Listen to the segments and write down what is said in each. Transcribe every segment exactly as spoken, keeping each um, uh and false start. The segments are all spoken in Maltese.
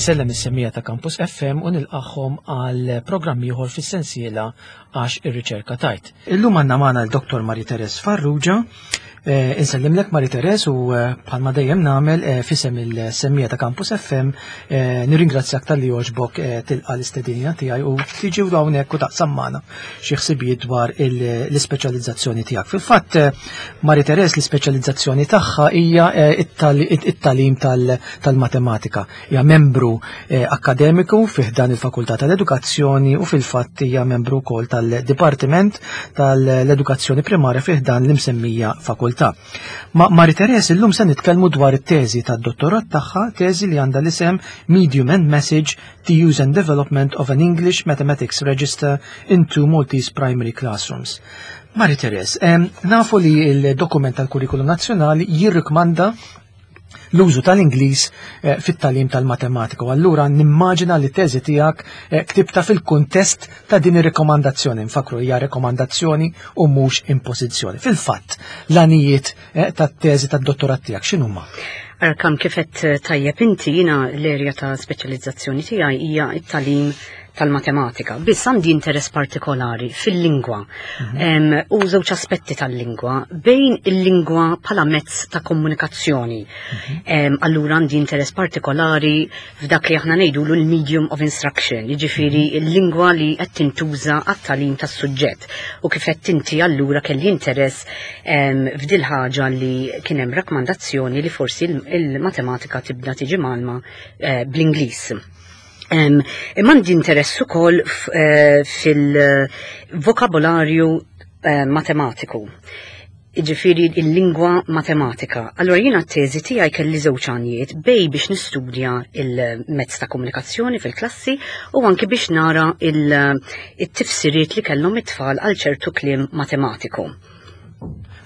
Insellem is-semmiegħa ta' Campus F M u nilqagħhom għal programm ieħor fis-sensiela Għax ir-Riċerka Tgħid. Illum għandna magħna l-Dottor Marie Therese Farrugia. Eh, insellimlek, Marie Therese, u eh, bħalma dejjem nagħmel eh, f'isem il-semmiegħa ta' Campus F M nirringrazzjak talli għoġbok tilqa l-istedina tiegħi u tiġi u hawnhekk u taqsam magħna xi ħsibijiet dwar l-ispeċjalizzazzjoni tiegħek. Fil-fatt, Marie Therese, l-ispeċjalizzazzjoni tagħha hija it-tagħlim tal-matematika. Hija membru akkademiku fi ħdan il-Fakultà tal-Edukazzjoni u fil-fatt hija membru wkoll tal-Dipartiment tal-Edukazzjoni Primarja fi ħdan l-imsemmija fakultà. Ma' Marie Therese illum se nitkellmu dwar it-teżi tad-dottorat tagħha, teżi li għandha l-isem Medium and Message: The Use and Development of an English Mathematics Register in Two Maltese Primary Classrooms. Marie Therese, nafu li il-dokument tal-Kurrikulum Nazzjonali jirrikmanda l-użu tal-Ingliż eh, fit-tagħlim tal-matematika. U allura nimmaġina li teżi tiegħek eh, ktibta fil-kuntest ta' din ir-rekomandazzjoni. Nfakru, hija rekomandazzjoni u mhux impożizzjoni. Fil-fatt, l-għanijiet eh, tat-teżi tad-dottorat tiegħek x'inhuma? Arkam, kif għedt tajjeb inti, jiena l-erja ta' speċjalizzazzjoni tiegħi hija it-tagħlim tal-matematika. Biss għandi interess partikolari fil-lingwa mm u żewġ aspetti tal-lingwa, bejn il-lingwa bħala mezz ta' komunikazzjoni. Mm -hmm. Allura għandi interess partikolari f'dak li aħna ngħidu l-medium of instruction, jiġifieri mm -hmm. il-lingwa li qed tintuża għat-tagħlim tas-suġġett. U kif qed inti, allura kelli interess f'dil ħaġa li kien hemm rakkomandazzjoni li forsi il-matematika tibda tiġi mgħallma eh, bl-Ingliż. Imma għandi interess ukoll eh, fil-vokabolarju eh, matematiku, jiġifieri il-lingwa matematika. Allora jiena t-teżi tiegħi kelli żewġ għanijiet, bejn biex nistudja il-mezz ta' komunikazzjoni fil-klassi u anki biex nara il-tifsiriet li kellhom it-tfal għal ċertu kliem matematiku.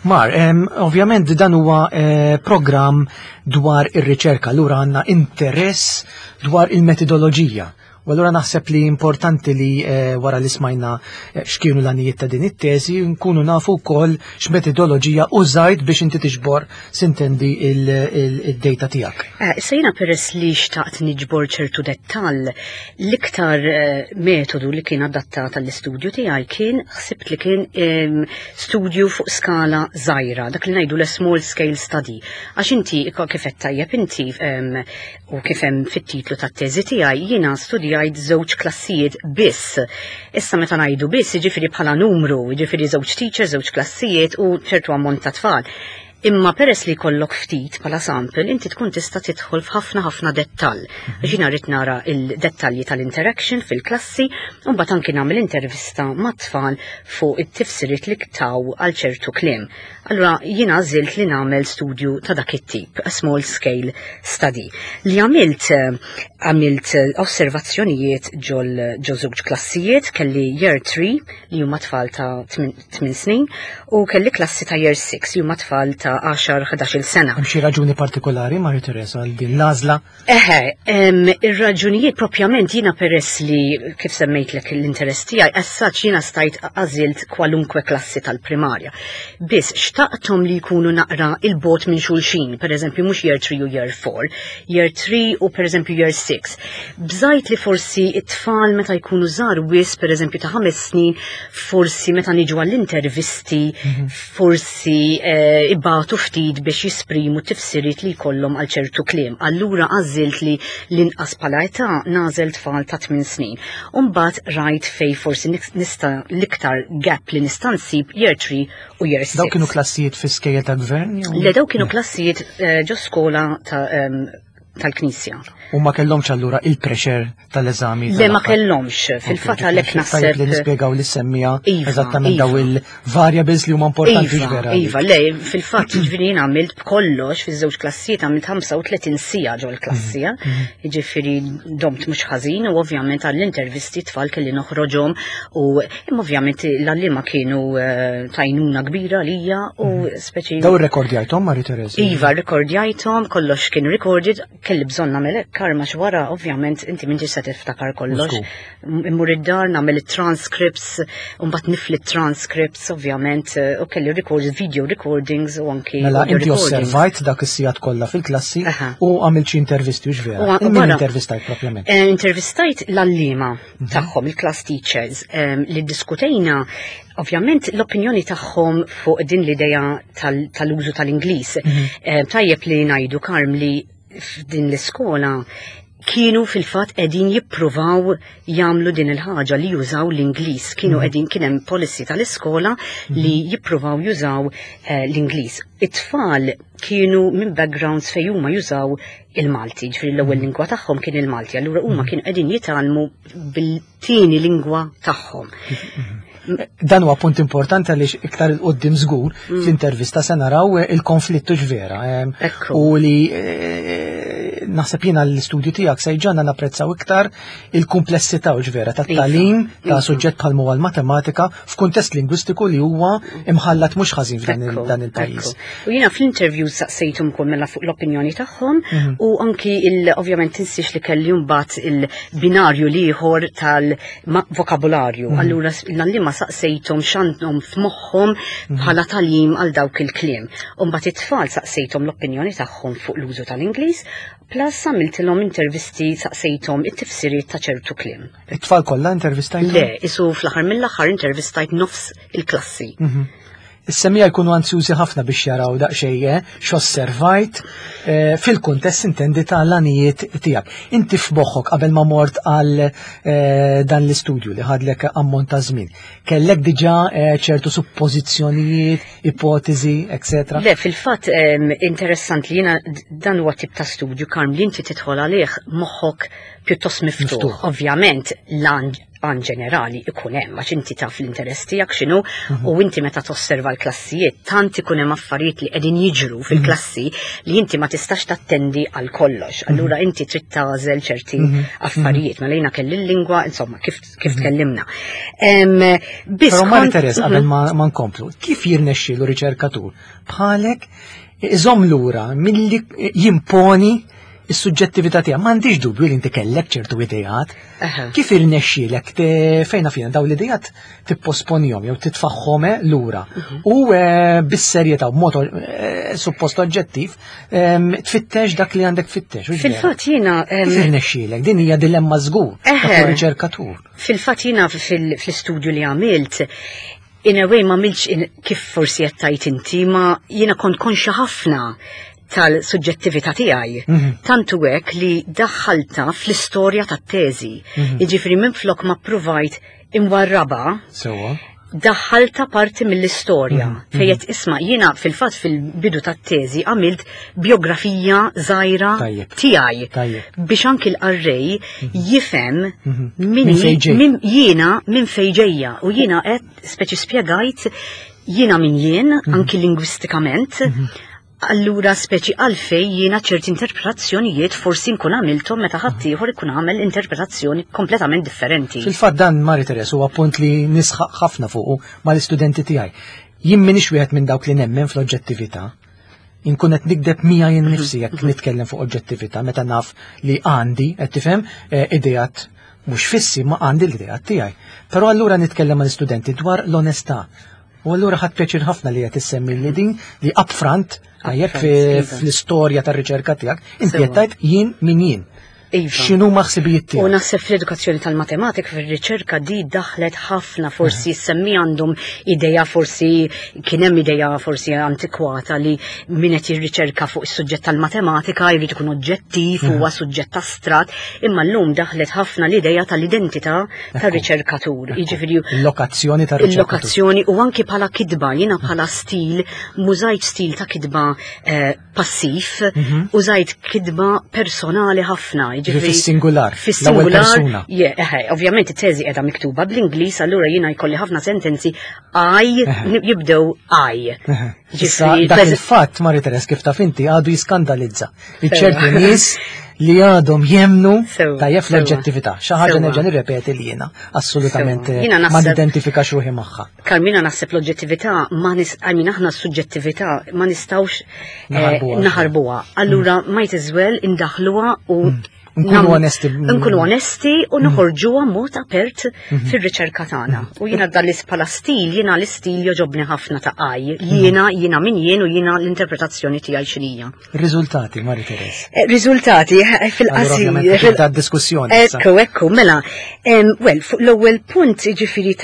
Mar, em, ovvjament dan huwa eh, programm dwar ir-riċerka, allura għandna interess dwar il-metodoloġija. U allura naħseb li importanti li eh, wara li smajna eh, x'kienu l-għanijiet ta' din it-teżi, nkunu nafu wkoll x'metodoloġija użajt biex inti tiġbor, sintendi, il-data tiegħek. Eh, issa jiena, peress li xtaqt niġbor ċertu dettall, l-iktar eh, metodu li kien adattat għall-istudju tiegħi kien, ħsibt li kien em, studju fuq skala żgħira, dak li ngħidu l small scale study. Għax inti kif qed tajjeb inti em, u kif hemm fit-titlu tat-teżi tiegħi, jiena studjajt żewġ klassijiet biss. Issa meta ngħidu biss, jiġifieri bħala numru, jiġifieri żewġ teachers, żewġ klassijiet u ċertu ammont ta' tfal. Imma peress li kollok ftit bħala sample, inti tkun tista' tidħol f'ħafna ħafna dettall. Għax jiena rrid nara il-dettalji tal-interaction fil-klassi, u mbagħad anki nagħmel intervista mat-tfal fuq it-tifsiriet li taw għal ċertu kliem. Allura jiena għażilt li nagħmel studju ta' dak it-tip, a small scale study. Li għamilt eh, għamilt eh, osservazzjonijiet ġol ġo żewġ klassijiet, kelli year three li huma tfal ta' tmien snin u kelli klassi ta' year six li huma tfal ta' għaxar ħdax-il sena. Hemm xi raġuni partikolari, Marie Therese, għal din l-għażla? Eħe, em, ir-raġunijiet propjament, jiena peress li kif semmejtlek l-interess tiegħi, as such jiena stajt għażilt kwalunkwe klassi tal-primarja. Biss xtaqthom li jkunu naqra 'il bogħod minn xulxin, per eżempju mhux year three u year four, year three u per eżempju year six. Bżajt li forsi it-tfal meta jkunu żgħar wisq, per eżempju ta' ħames snin, forsi meta niġu għall-intervisti, forsi eh, ibatu ftit biex jisprimu tifsiriet li jkollhom għal ċertu kliem. Allura għażilt li l-inqas bħala età nagħżel tfal ta' tmien snin. Umbagħad rajt fej forsi nista' l-iktar gap li nista' nsib year three u year six. Daw kienu klassijiet fi skejjel ta' gvern? jew- Le, daw kienu klassijiet eh, ġo skola ta' em, tal-Knisja. U ma kellhomx allura il-pressure tal-eżami? Le, ma tal-aħħar? kellhomx, fil-fatt għalhekk Tajjeb li naħseb. nispjegaw lis-semmiegħa Iva, eżattament iva. daw il-variables li huma importanti Iva, vera. Iva, le, fil-fatt ġifieri jien għamilt b'kollox fiż-żewġ klassijiet għamilt ħamsa u tletin siegħa ġol klassija, jiġifieri domt mhux ħażin u ovvjament għall-intervisti tfal kelli noħroġhom u imma ovvjament l-għalliema kienu eh, t'għajnuna kbira lija u speċi. Daw irrekordjajthom, Marie Therese? Iva, rekordjajthom, kollox kien recorded. Kelli bżonn nagħmel hekk, Karma, wara ovvjament inti m'intix se tiftakar kollox. Immur id-dar nagħmel it-transcripts, u mbagħad nifli transcripts ovvjament, u kelli records, video recordings u anki Mela inti osservajt dak is-sigħat kollha fil-klassi u għamilt xi intervisti, hux vera? Min intervistajt propjament? Eh, intervistajt l-għalliema mhm. tagħhom, il-class teachers, li diskutejna ovvjament l-opinjoni tagħhom fuq din l-idea tal-użu tal-Ingliż. Mhm. Eh, tajjeb li ngħidu, Karm, li f'din l-iskola kienu fil-fatt qegħdin jippruvaw jagħmlu din il-ħaġa li jużaw l-Ingliż. Kienu mhm. qegħdin, kien hemm policy tal-iskola li mhm. jippruvaw jużaw eh, l-Ingliż. It-tfal kienu minn backgrounds fejn huma jużaw il-Malti, ġifieri l-ewwel mhm. lingwa tagħhom kien il-Malti, allura huma kienu qegħdin jitgħallmu bil-tieni lingwa tagħhom. Dan huwa punt importanti għaliex iktar 'il quddiem żgur mm. fl-intervista se naraw il-konflittu x'vera. U li eh, naħseb jiena l-istudju tiegħek se jġagħalna napprezzaw iktar il-kumplessità u x'vera tat-tagħlim ta' iva. suġġett bħal huwa l-matematika f'kuntest lingwistiku li huwa imħallat mhux ħażin f'dan il-pajjiż. U jiena fl-interview saqsejthom ukoll mela fuq l-opinjoni tagħhom mhm. u anki ovvjament tinsiex li kelli mbagħad il-binarju l-ieħor tal-vokabularju. Mhm. Allura l-għalliema saqsejthom x'għandhom f'moħħhom mhm. bħala tagħlim għal dawk il-kliem. U mbagħad it-tfal saqsejthom l-opinjoni tagħhom fuq l-użu tal-Ingliż, plus għamiltilhom intervisti, saqsejthom it-tifsiriet ta' ċertu kliem. It-tfal kollha intervistajt? Le, isu fl-aħħar mill-aħħar intervistajt nofs il-klassi. Mhm. Is-semmiegħa jkunu ansjużi ħafna biex jaraw daqsxejn eh, x'osservajt eh, fil-kuntest intendi ta' l-għanijiet tiegħek. Inti f'moħħok qabel ma mort għal eh, dan l-istudju li ħadlek ammont ta' żmien, kellek diġà ċertu suppożizzjonijiet, ipotezi, eccetera? Le, fil-fatt interessant li jiena dan huwa tip ta' studju, Karm, li inti tidħol għalih moħħok pjuttost miftuħ. Ovvjament l-għan għan ġenerali ikun hemm għax inti taf l-interess tiegħek x'inhu mhm. u inti meta tosserva l-klassijiet tant ikun hemm affarijiet li qegħdin jiġru mhm. fil-klassi li inti ma tistax tattendi għal kollox. Mhm. Allura inti trid tagħżel ċerti affarijiet. Mela jiena kelli l-lingwa, insomma, kif kif tkellimna. Biss Però Marie Therese, qabel ma nkomplu, kif jirnexxielu riċerkatur bħalek iżomm lura milli jimponi is-suġġettività tiegħek? M'għandix dubju li inti kellek ċertu ideat. Kif irnexxielek fejna fina daw l-ideat tipposponihom jew titfaħħom lura mhm. u eh, bis-serjetà b'mod eh, suppost oġġettiv tfittex dak li għandek tfittex? Fil-fatt jiena Kif irnexxielek? Din hija dilemma żgur ta' riċerkatur. Fil-fatt jiena fil-istudju li għamilt, in a way ma għamiltx kif forsi qed tgħid inti, ma jiena kont konxa ħafna tal-suġġettività tiegħi. Mhm. Tantu hekk li daħħalta fl-istorja tat-teżi. Mhm. Jiġifieri minflok ma provajt imwarraba. Sewwa. Daħħalta parti mill-istorja. Mm -hmm. Fejn isma' jiena fil-fatt fil-bidu tat-teżi għamilt biografija żgħira tiegħi biex anki l-qarrej mhm. jifhem min min jiena, minn fejn ġejja, u jiena qed speċi spjegajt jiena min jien anki lingwistikament. Allura speċi għalfej jiena ċerti interpretazzjonijiet forsi nkun għamilthom meta ħaddieħor ikun għamel interpretazzjoni kompletament differenti. Fil-fatt dan, Marie Therese, huwa punt li nisħaq ħafna fuqu mal-istudenti tiegħi. Jien m'iniex wieħed minn dawk li nemmen fl-oġġettività. Inkun qed nikdeb miegħi jien nifsi jekk nitkellem fuq oġġettività meta naf li għandi, qed tifhem, eh, ideat mhux fissi, ma għandi l-ideat tiegħi. Però allura nitkellem mal-istudenti dwar l-onestà. U allura ħadt pjaċir ħafna li qed issemmi li din li upfront għajjek Upfront, iva. fl-istorja tar-riċerka tiegħek, inti Sewwa. qed tgħid jien min jien. Iva. X'inhu ħsibijiet U tiegħek? naħseb fl-edukazzjoni tal-matematika, fil-riċerka di daħlet ħafna, forsi semmi għandhom ideja, forsi kien hemm ideja forsi antikwata li min qed jirriċerka fuq is-suġġett tal-matematika jrid ikun oġġettiv, huwa suġġett astrat, imma llum daħlet ħafna l-ideja tal-identità tar-riċerkatur. Jiġifieri Il-lokazzjoni tar-riċerkatur. Il-lokazzjoni u anki bħala kitba, jiena bħala stil, m'użajt stil ta' kitba eh, passiv, użajt kitba personali ħafna. Ġifieri fis-singular, l-ewwel Fis-singular, persuna. je, eħe, ovvjament it-teżi qiegħda miktuba bl-Ingliż, allura jiena jkolli ħafna sentenzi I, jibdew I. Issa Ġifieri, dak peż- il-fatt, Marie Therese, kif taf inti, għadu jiskandalizza. Ċerti nies li għadhom jemmnu Sewa, tajjeb sewa. l-oġġettività. Xi ħaġa Sewa. nerġa' nirrepeti li jiena assolutament Sewa. Jiena ma naħseb- nidentifikax ruħi magħha. Karmina, naħseb l-oġġettività ma nis, I mean, aħna s-suġġettività ma nistgħux eh, Naħarbuha. naħarbuha. Allura might as well indaħluha u Nkunu nam- onesti. Nkunu onesti u noħorġuha mod apert fir-riċerka tagħna. U jiena dan bħala stil, jiena l-istil jogħġobni ħafna ta' għaj. Jiena, jiena min jien u jiena l-interpretazzjoni tiegħi x'inhija. Riżultati, Marie Therese. Eh, Riżultati eh, Allura fil-qasir. ovvjament tibda d-diskussjoni issa. Ekku, ekku, mela. Em, well, fuq l-ewwel punt, ġifieri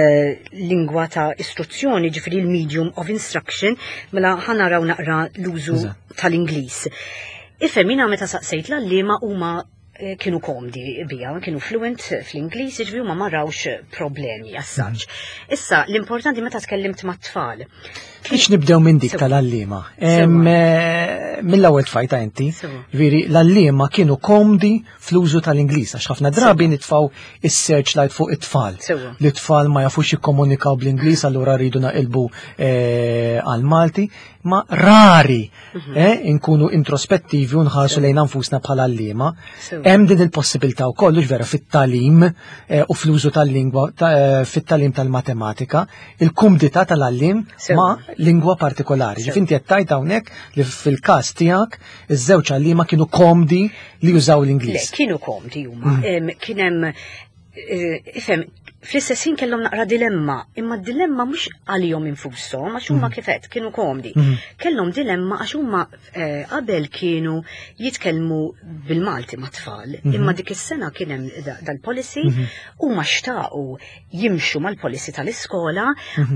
tal-lingwa ta' istruzzjoni, ġifieri l-medium of instruction, mela ħa naraw naqra l-użu Eżatt. tal-Ingliż. Ifhem, jiena meta saqsejt l-għalliema, huma eh, kienu komdi biha, kienu fluent fl-Ingliż, ġifieri huma ma rawx problemi as such. Issa, l-importanti meta tkellimt mat-tfal. Biex nibdew minn dik Sewa. tal-għalliema. Sewa. Em, eh, Mill-ewwel tfajta inti, Sewa. veri l-għalliema kienu komdi fl-użu tal-Ingliż, għax ħafna drabi nitfaw is-searchlight fuq it-tfal. Sewa. Li t-tfal ma jafux jikkomunikaw bl-Ingliż, allura rridu naqilbu eh, għal-Malti, ma rari Mhm. eh, inkunu introspettivi u nħarsu lejn anfusna bħala għalliema. Sewa. Hemm din il-possibilità wkoll, hux vera, fit-tagħlim eh, u fl-użu tal-lingwa ta- eh, fit-tagħlim tal-matematika, il-kumdità tal-għalliem Sewa. ma' lingwa partikolari. Sewa. Ġifieri inti qed tgħid hawnhekk li fil-każ tiegħek iż-żewġ għalliema kienu komdi li jużaw Le, l-Ingliż. kienu komdi huma. Em, Kien hemm eh, ifhem, fl-istess ħin kellhom naqra dilemma, imma d-dilemma mhux għalihom infushom, għax huma kifet kienu komdi. Kellhom dilemma għax huma eh, qabel kienu jitkellmu bil-Malti mat-tfal, imma dik is-sena kien hemm da- dal-policy, huma xtaqu jimxu mal-policy tal-iskola,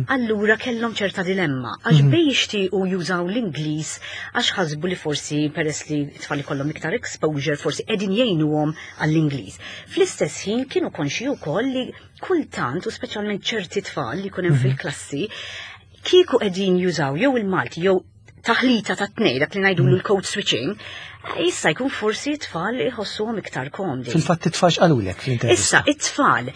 allura kellhom ċerta dilemma għax bej jixtiequ jużaw l-Ingliż għax ħasbu li forsi peress li t-tfal ikollhom iktar exposure forsi qegħdin jgħinuhom għall-Ingliż. Fl-istess ħin kienu konxi wkoll li kultant, u speċjalment ċerti tfal li jkun hemm fil-klassi, kieku qegħdin jużaw jew il-Malti jew taħlita ta' tnej, dak li ngħidu l-code switching, jista' jkun forsi tfal iħossuhom iktar komdi. Fil-fatt it-tfal x'qalulek fl-intervista? Issa, it-tfal.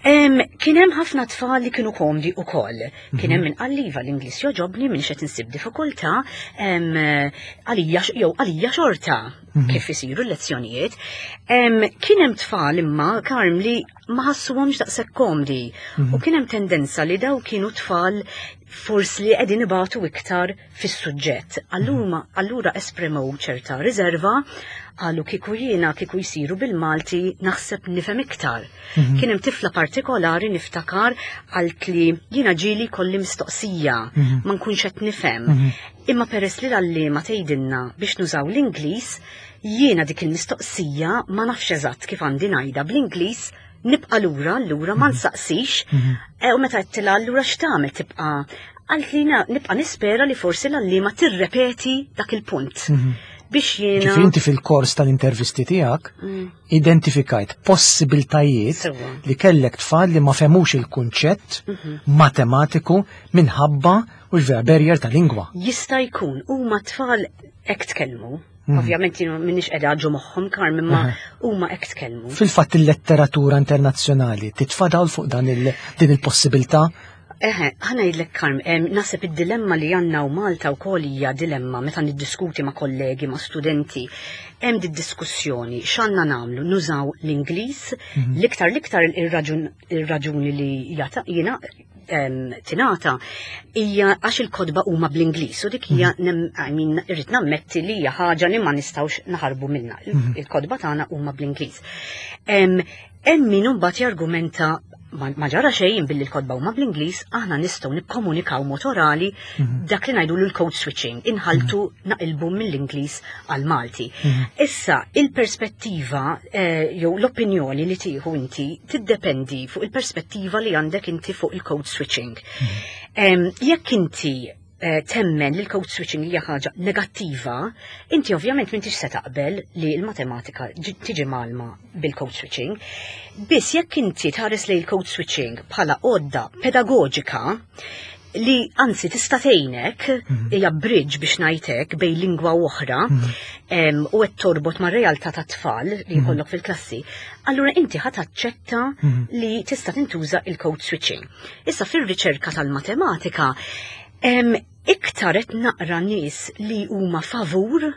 Em, Kien hemm ħafna tfal li kienu komdi ukoll. Kien hemm min qal iva, l-Ingliż jogħġobni, minn qed insib diffikultà, em, għalija jew għalija xorta kif isiru l-lezzjonijiet. Em, Kien hemm tfal imma, Karm, li ma ħassuhomx daqshekk komdi. U kien hemm tendenza li daw kienu tfal forsi li qegħdin ibatu iktar fis-suġġett. Allura allura esprimew ċerta riserva, qalu kieku jiena kieku jsiru bil-Malti naħseb nifhem iktar. Kien hemm tifla partikolari, niftakar, qalt li jiena ġieli kolli mistoqsija ma nkunx qed nifhem. Imma peress li l-għalliema tgħidilna biex nużaw l-Ingliż, jiena dik il-mistoqsija ma nafx eżatt kif għandi ngħidha bl-Ingliż, nibqa' lura, allura ma nsaqsix. E, u meta għedtilha allura x'tagħmel tibqa', qalt li nibqa' nispera li forsi l-għalliema tirrepeti dak il-punt. Biex jiena. Ġifieri inti fil-kors tal-intervisti tiegħek identifikajt possibiltajiet Sewa. li kellek tfal li ma fehmux il-kunċett matematiku minħabba u vera barrier ta' lingwa. Jista' jkun, huma tfal hekk tkellmu. Ovvjament jiena m'iniex qiegħda ġo moħħhom, Karm, imma huma hekk tkellmu. Fil-fatt il-letteratura internazzjonali titfa' dawl fuq dan il din il-possibilità? Eħe, ħa ngħidlek, Karm, em, naħseb id-dilemma li għandna u Malta wkoll hija dilemma meta niddiskuti ma' kollegi, ma' studenti. Hemm di diskussjoni x'għandna nagħmlu, nużaw l-Ingliż, l-iktar l-iktar ir-raġun ir-raġuni li jata jiena em, tingħata hija għax il-kotba huma bl-Ingliż u dik hija nem- I mean, irrid nammetti li hija ħaġa li ma nistgħux naħarbu minnha. Il-kotba tagħna huma bl-Ingliż. Em, Hemm min imbagħad jargumenta ma ma ġara xejn billi l-kotba huma bl-Ingliż, aħna nistgħu nikkomunikaw mod orali, dak li ngħidu l-code switching, inħaltu, naqilbu mill-Ingliż għal Malti. Issa, il-perspettiva eh, jew l-opinjoni li tieħu inti tiddependi fuq il-perspettiva li għandek inti fuq il-code switching. Em, Jekk inti eh, temmen li l-code switching hija ħaġa negattiva, inti ovvjament m'intix se taqbel li l-matematika ġi- tiġi mgħallma bil-code switching. Biss jekk inti tħares li l-code switching bħala għodda pedagoġika li anzi tista' tgħinek, hija bridge biex ngħidlek bejn lingwa u oħra em, u qed torbot mar-realtà tat-tfal li jkollok fil-klassi, allura inti ħa taċċetta li tista' tintuża il-code switching. Issa fir-riċerka tal-matematika em, iktar qed naqra nies li huma favur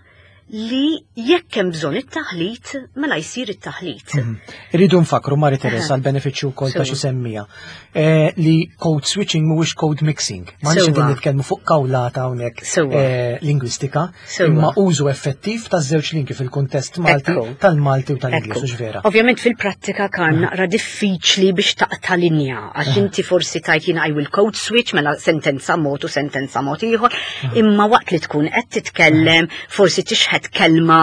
li jekk hemm bżonn it-taħlit, mela jsir it-taħlit. Mhm. Irridu nfakru, Marie Therese, għal benefiċċju wkoll ta' xi semmija eh, li code switching mhuwiex code mixing. Ma nix qegħdin nitkellmu fuq kawlata hawnhekk eh, lingwistika, imma użu effettiv taż-żewġ lingwi fil-kuntest Malti tal-Malti u tal-Ingliż, hux vera. Ovvjament fil-prattika kan mhm. naqra diffiċli biex taqta' linja, għax inti forsi tajt jiena I will code switch, mela sentenza mod u sentenza mod ieħor, imma waqt li tkun qed titkellem forsi tixħet kelma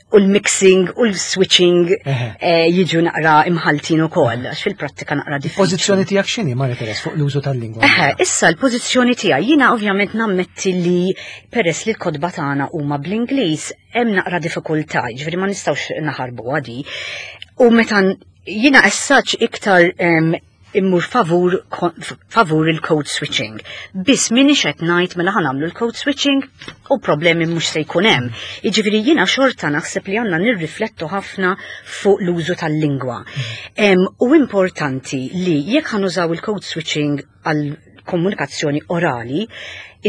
u l-mixing u l-switching eh, jiġu naqra imħaltin ukoll, għax fil-prattika naqra diffiċli. Pożizzjoni tiegħek x'inhi, Marie Therese, fuq l-użu tal-lingwa? Eħe, issa l-pożizzjoni tiegħi, jiena ovvjament nammetti li peress li l-kotba tagħna huma bl-Ingliż hemm naqra diffikultà, ġifieri ma nistgħux naħarbu għadi. U meta jiena essaċ iktar em, immur favur, favur il-code switching. Biss minix qed ngħid mela ħa nagħmlu l-code switching u problemi mhux se jkun hemm. Jiġifieri jiena xorta naħseb li għandna nirriflettu ħafna fuq l-użu tal-lingwa. Em, u importanti li jekk ħa nużaw il-code switching għal komunikazzjoni orali,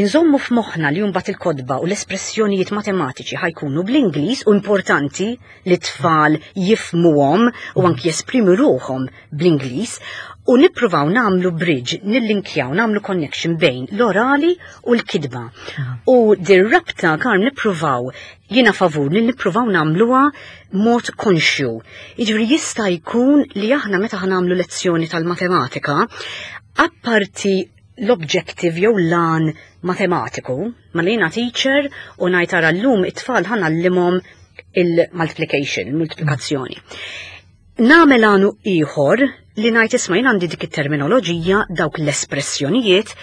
inżommu f'moħħna li mbagħad il-kotba u l-espressjonijiet matematiċi ħa jkunu bl-Ingliż u importanti li tfal jifhmuhom u anki jesprimu ruħhom bl-Ingliż u nippruvaw nagħmlu bridge, nillinkjaw, nagħmlu connection bejn l-orali u l-kitba. U dir-rabta kan nippruvaw, jiena favur li nippruvaw nagħmluha mod konxju. Jiġifieri jista' jkun li aħna meta ħa nagħmlu lezzjoni tal-matematika, apparti l-objective jew l-għan matematiku, ma li jiena teacher u ngħid ara llum it-tfal ħa ngħallimhom il-multiplication, il-multiplikazzjoni. Nagħmel għanu ieħor li ngħid isma' jien għandi dik it-terminoloġija, dawk l-espressjonijiet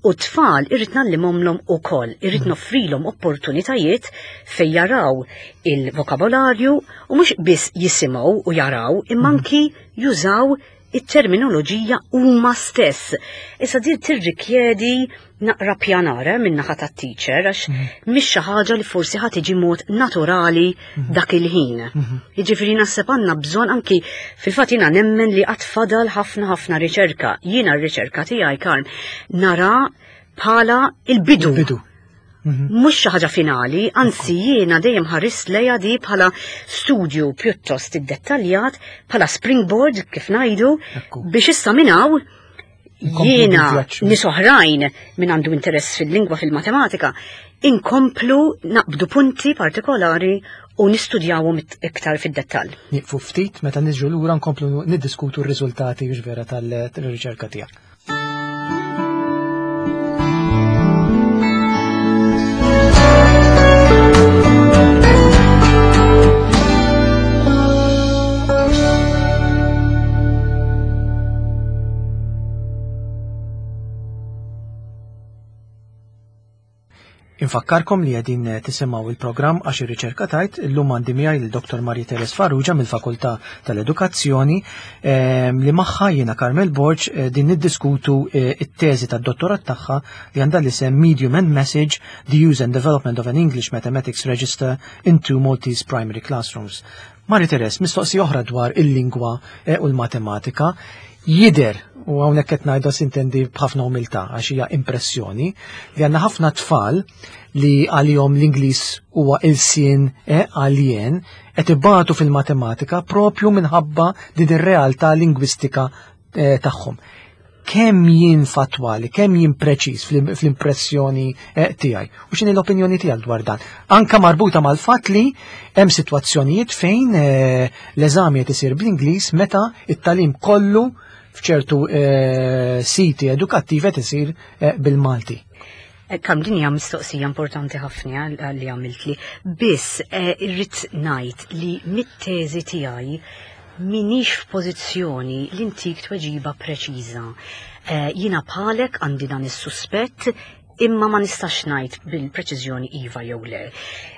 u tfal irrid ngħallimhomlhom ukoll, irrid noffrilhom opportunitajiet fejn jaraw il-vokabolarju u mhux biss jisimgħu u jaraw imma anki jużaw it-terminoloġija huma stess. Issa din tirrikjedi naqra pjanare minn naħa tat-teacher għax mhix xi ħaġa li forsi ħa tiġi mod naturali dak il-ħin. Jiġifieri naħseb għandna bżonn anki fil-fatt jiena nemmen li qatt fadal ħafna ħafna riċerka. Jiena r-riċerka tiegħi Karm nara bħala il-bidu. Il-bidu. Mhux xi ħaġa finali, anzi jiena dejjem ħarist lejha di bħala studju pjuttost iddettaljat, bħala springboard kif ngħidu, Ekku. biex issa minn hawn Inkomplu jiena bil-vjaġġ. nies oħrajn min għandu interess fil-lingwa, fil-matematika, inkomplu naqbdu punti partikolari u nistudjawhom it- iktar fid-dettall. Nieqfu ftit, meta niġu lura nkomplu niddiskutu r-riżultati vera tal-riċerka tiegħek. Infakkarkom li qegħdin tisimgħu il-programm Għax ir-riċerka tgħid. Illum għandi miegħi lil Doktor Marie Therese Farrugia mill-Fakultà tal-Edukazzjoni, ehm, li magħha jiena Carmel Borg eh, din niddiskutu eh, it-teżi tad-dottorat tagħha li għandha l-isem Medium and Message: The Use and Development of an English Mathematics Register in Two Maltese Primary Classrooms. Marie Therese, mistoqsi oħra dwar il-lingwa eh, u l-matematika. Jider, u hawnhekk qed ngħidu sintendi b'ħafna umiltà għax hija impressjoni, li għandna ħafna tfal li għalihom l-Ingliż huwa ilsien eh, għaljen qed ibatu fil-matematika propju minħabba din ir-realtà lingwistika eh, tagħhom. Kemm jien fatwali, kemm jien preċiż fl-, fl-impressjoni eh, tiegħi? U x'inhi l-opinjoni tiegħek dwar dan? Anka marbuta mal-fatt li hemm sitwazzjonijiet fejn, eh, l-eżami qed isir bl-Ingliż meta it-tagħlim kollu f'ċertu, eh, siti edukattivi qed isir, eh, bil-Malti. Eh, Kam din hija mistoqsija importanti ħafna li għamiltli. Biss, eh, irrid ngħid li mit-teżi tiegħi minix f'pożizzjoni li ntik tweġiba preċiża. Eh, jiena bħalek għandi dan is-suspett imma ma nistax ngħid bil-preċiżjoni iva jew le.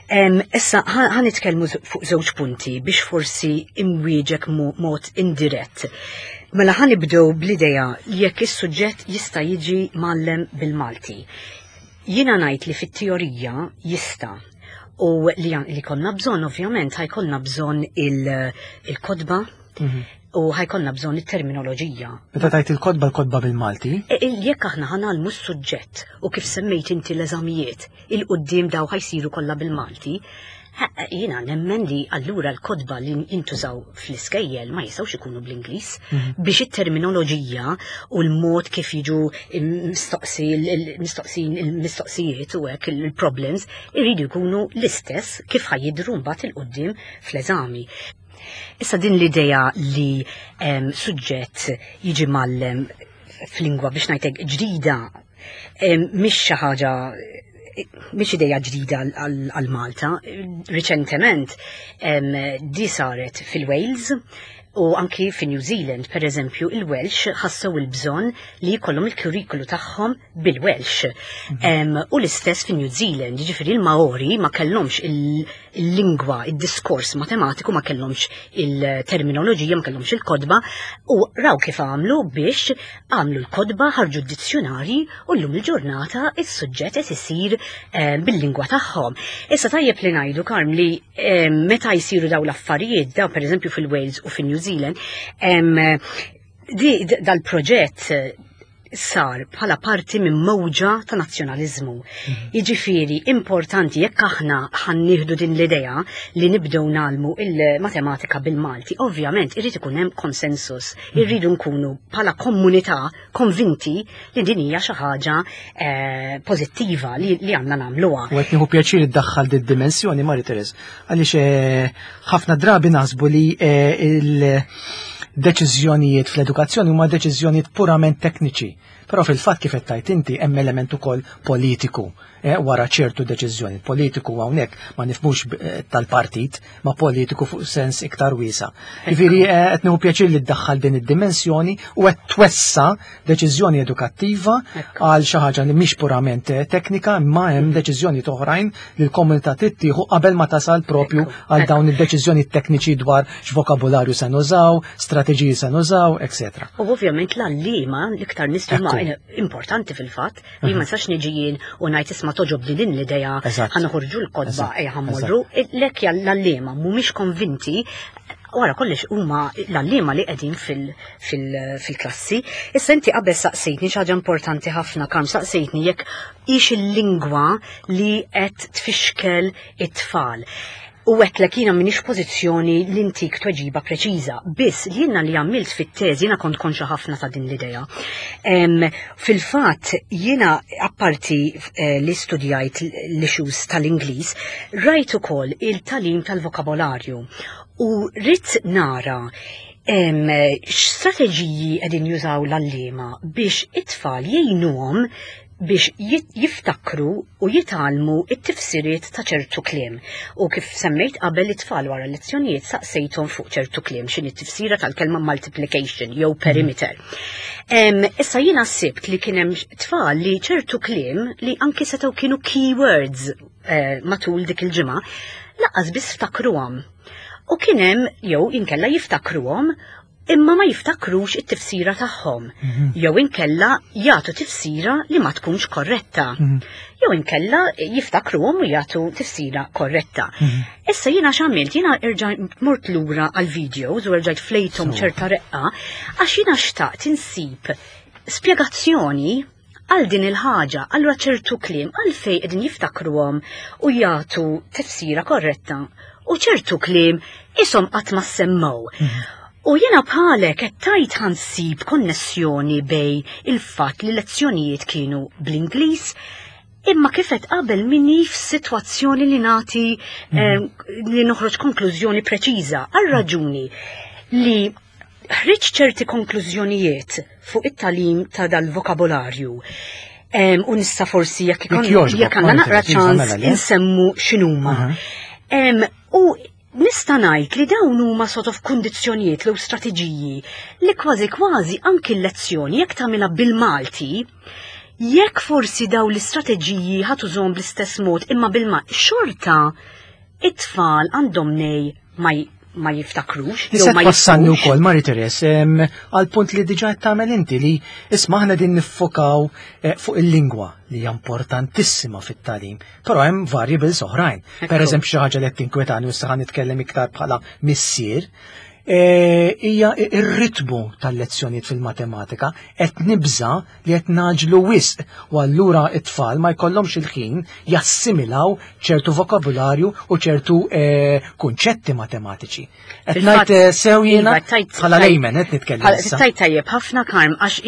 Em, issa ħa, ħa nitkellmu z-, fuq żewġ punti biex forsi imwieġek mo-, mod indirett. Mela ħa nibdew bl-idea li jekk is-suġġett jista' jiġi mgħallem bil-Malti. Jiena ngħid li fit-teorija jista' u li għan-, li konna bżonn, ovvjament, ħajkonna bżonn il-, il-kotba Mhm. u ħajkonna bżonn it-terminoloġija. Meta tajt il-kotba, l-kotba bil-Malti? E, e, jekk aħna ħanalmu s-suġġett u kif semmejt inti l-eżamijiet, il-qudiem daw ħajsiru kollha bil-Malti, Jiena nemmen li allura l-kotba li jintużaw fl-iskejjel ma jistgħux ikunu bl-Ingliż mhm. biex it-terminoloġija u l-mod kif jiġu mistoqsin il-mistoqsijiet u hekk il-problems iridu jkunu l-istess kif ħa jidhru mbagħad 'il quddiem fl-eżami. Issa din l-idea li suġġett jiġi mgħallem f'lingwa, biex ngħidlek, ġdida mhix xi ħaġa, mhix ideja ġdida għal Malta. Riċentement di saret fil-Wales u anki fi New Zealand. Per eżempju, il-Welsh ħassew il-bżonn li jkollhom il-kurrikulu tagħhom bil-Welsh. Mhm. U l-istess fi New Zealand, jiġifieri il-Maori ma kellhomx il-lingwa, il-diskors matematiku, ma kellhomx il-terminoloġija, ma kellhomx il-kotba u raw kif għamlu biex għamlu l-kotba, ħarġu d-dizzjonari u llum il-ġurnata is-suġġett qed isir bil-lingwa tagħhom. Issa tajjeb li ngħidu, Karm, li meta jsiru daw l-affarijiet, daw per eżempju fil-Wales u fil-New Zealand, di dal-proġett sar bħala parti minn mowġa ta' nazzjonalizmu. Mhm. Jiġifieri importanti jekk aħna ħa nieħdu din l-idea li nibdew ngħallmu il-matematika bil-Malti, ovvjament irid ikun hemm konsensus, mhm. irridu nkunu bħala komunità konvinti li din hija xi ħaġa eh, pożittiva li, li għandna nagħmluha. U qed nieħu pjaċir iddaħħal din dimensjoni, Marie Therese, għaliex eh, ħafna drabi naħsbu li eh, il-deċiżjonijiet fl-edukazzjoni huma deċiżjonijiet purament tekniċi. Però fil-fatt, kif qed tgħid inti, hemm element ukoll politiku eh, wara ċertu deċiżjoni. Politiku hawnhekk ma nifhmux eh, tal-partit, ma politiku fuq sens iktar wiesa'. Jiġifieri eh, qed nieħu pjaċir li ddaħħal din id-dimensjoni u qed twessa deċiżjoni edukattiva għal xi ħaġa li mhix purament eh, teknika, imma hemm deċiżjoni oħrajn li l-komunità tittieħu qabel ma tasal propju għal dawn id-deċiżjoni tekniċi dwar x'vokabularju se nużaw, strateġiji se nużaw, eċetera. U ovvjament l-għalliema l-iktar nies huma importanti fil-fatt li ma nistax niġi jien u ngħid, "Isma', togħġobni din l-idea, ħa noħorġu l-kotba, ejja ħa mmorru." Jekk l-għalliema mhumiex konvinti, wara kollox huma l-għalliema li qegħdin fil-klassi. Issa inti qabel saqsejtni xi ħaġa importanti ħafna, Karm, saqsejtni jekk hix il-lingwa li qed tfixkel it-tfal. U għedtlek jiena minix pożizzjoni li ntik tweġiba preċiża, biss li jiena li għamilt fit-teżi, jiena kont konxa ħafna ta' din l-idea. Fil-fatt, jiena apparti eh, li studjajt l-issues tal-Ingliż, rajt ukoll il-tagħlim tal-vokabolarju u ridt nara x'strateġiji qegħdin jużaw l-għalliema biex it-tfal jgħinuhom biex jiftakru u jitgħallmu it-tifsiriet ta' ċertu kliem. U kif semmejt qabel, it-tfal wara lezzjonijiet saqsejthom fuq ċertu kliem, x'inhi t-tifsira tal-kelma multiplication jew perimeter. Issa jiena sibt li kien hemm tfal li ċertu kliem li anki setgħu kienu keywords eh, matul dik il-ġimgħa lanqas biss ftakruhom. U kien hemm jew inkella jiftakruhom imma ma jiftakrux it-tifsira tagħhom. Mhm. Jew inkella jagħtu tifsira li ma tkunx korretta. Mhm. Jew inkella jiftakruhom u jagħtu tifsira korretta. Mhm. Issa jiena x'għamilt? Jiena erġajt mort lura għal videos u erġajt flejthom ċerta reqqa għax jiena xtaqt insib spjegazzjoni għal din il-ħaġa, allura ċertu kliem għalfejn qegħdin jiftakruhom u jagħtu tifsira korretta u ċertu kliem ishom qatt ma semmew. U jiena bħalek qed tajt ħa nsib konnessjoni bejn il-fatt li lezzjonijiet kienu bl-Ingliż, imma kif għedt qabel minix f'sitwazzjoni li nagħti eh, li noħroġ konklużjoni preċiża għal raġuni li ħriġt ċerti konklużjonijiet fuq it-tagħlim ta' dal-vokabolarju. Em, U nista' forsi jekk ikon- Jekk jogħġbok, jekk għandna naqra Marta, iva, ċans mela, le? insemmu x'inhuma. Aha. Em, U nista' ngħid li dawn huma sort of kundizzjonijiet jew strateġiji li kważi kważi anki l-lezzjoni jekk tagħmilha bil-Malti, jekk forsi daw l-istrateġiji ħa tużahom bl-istess mod imma bil-Malti, xorta it-tfal għandhom nej ma j- ma jiftakrux jew Nista' ma twassalni jifhmux. wkoll, Marie Therese, em, għal punt li diġà qed tagħmel inti li isma' aħna din niffokaw eh, fuq il-lingwa li hija importantissima fit-tagħlim, però hemm variables oħrajn. Ekku. Per eżempju, xi ħaġa li qed tinkwetani u issa ħa nitkellem iktar bħala missier, Hija ir-ritmu tal-lezzjonijiet fil-matematika. Qed nibża li qed ngħaġġlu wisq u allura it-tfal ma jkollhomx il-ħin jassimilaw ċertu vokabularju u ċertu kunċetti matematiċi. Qed ngħid sew jiena bħala layman qed nitkellem. Tajt tajjeb ħafna, Karm, għax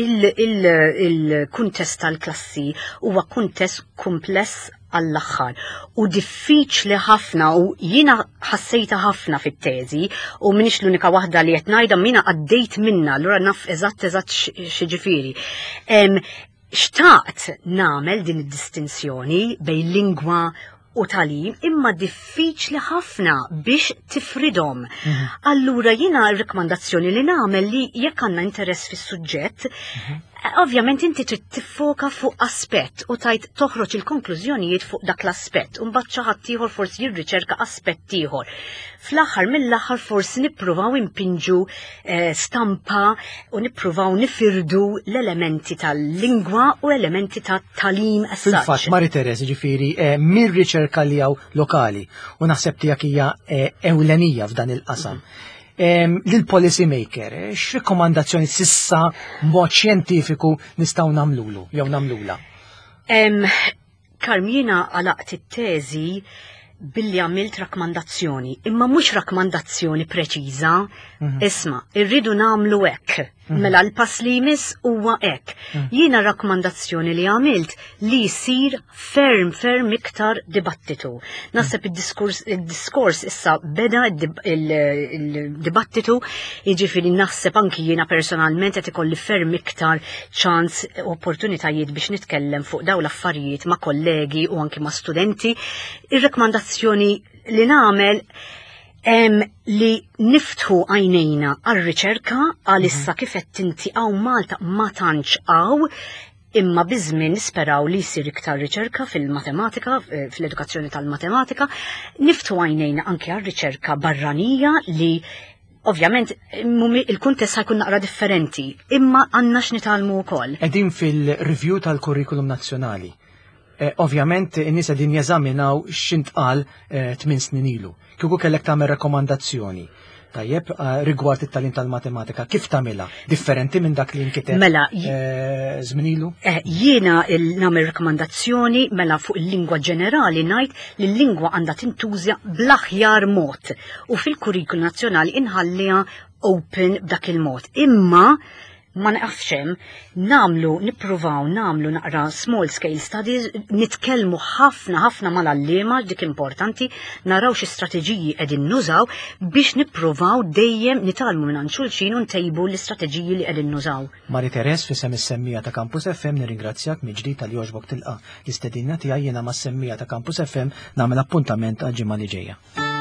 il-kuntest tal-klassi huwa kuntest kumpless għall-aħħar u diffiċli ħafna, u jiena ħassejta ħafna fit-teżi u minix l-unika waħda li qed ngħidha, mina għaddejt minna, allura naf eżatt eżatt x'jiġifieri. Xtaqt nagħmel din id-distinzjoni bejn lingwa u tagħlim, imma diffiċli ħafna biex tifridhom. Mhm. Allura jiena r-rekomandazzjoni li nagħmel li jekk għandna interess fis-suġġett, mhm. ovvjament inti trid tiffoka fuq aspett u tajt toħroġ il-konklużjonijiet fuq dak l-aspett, u mbagħad xi ħadd ieħor forsi jirriċerka aspett ieħor. Fl-aħħar mill-aħħar forsi nippruvaw impinġu eh, stampa u nippruvaw nifirdu l-elementi tal-lingwa u elementi tat-tagħlim. Fil-fatt, Marie Therese, ġifieri eh, mir-riċerka li hawn lokali u naħseb tiegħek hija eh, ewlenija f'dan il-qasam. Mm lil policy maker, eh, x'rekomandazzjoni s'issa mod xjentifiku nistgħu nagħmlulu jew nagħmlula? Karm, jiena għalaqt it-teżi billi għamilt rakkomandazzjoni, imma mhux rakkomandazzjoni preċiża. Mhm. Isma', irridu nagħmlu hekk. Mhm. Mela l-pass li jmiss huwa hekk. Mhm. Jiena rakkomandazzjoni li għamilt li jsir ferm ferm iktar dibattitu. Naħseb id-diskors id-diskors issa beda il-dibattitu, jiġifieri naħseb anki jiena personalment qed ikolli ferm iktar ċans, opportunitajiet biex nitkellem fuq dawn l-affarijiet ma' kollegi u anki ma' studenti. Ir-rakkomandazzjoni li nagħmel em, li niftħu għajnejna għal-riċerka għalissa. Kif qed inti, hawn Malta ma tantx hawn, imma biż-żmien nisperaw li jsir iktar riċerka fil-matematika, eh, fl-edukazzjoni tal-matematika, niftħu għajnejna anke għal-riċerka barranija li ovvjament il-kuntest ħa jkun naqra differenti, imma għandna x'nitgħallmu wkoll. Qegħdin fil-review tal-kurrikulum nazzjonali. Eh, ovvjament in-nies qegħdin jeżaminaw x'intqal eh, tmien snin ilu. Kieku kellek tagħmel rakkomandazzjoni, tajjeb, eh, rigward it-tagħlim tal-matematika, kif tagħmilha? Differenti minn dak li nkiteb Mela, żmien ilu? Jiena nagħmel rakkomandazzjoni mela fuq il-lingwa ġenerali, ngħid li l-lingwa għandha tintuża bl-aħjar mod u fil-kurrikulu nazzjonali inħalliha open b'dak il-mod. Imma ma naqafx hemm, nagħmlu, nippruvaw nagħmlu naqra small scale studies, nitkellmu ħafna ħafna mal-għalliema, dik importanti, naraw xi strateġiji qegħdin nużaw biex nippruvaw dejjem nitgħallmu minn xulxin u ntejbu l-istrateġiji li qegħdin nużaw. Marie Therese, f'isem is-semmiegħa ta' Campus F M nirringrazzjak mill-ġdid talli għoġbok tilqa' l-istedina tiegħi. Jiena mas-semmiegħa ta' Campus F M nagħmel appuntament għal ġimgħa li ġejja.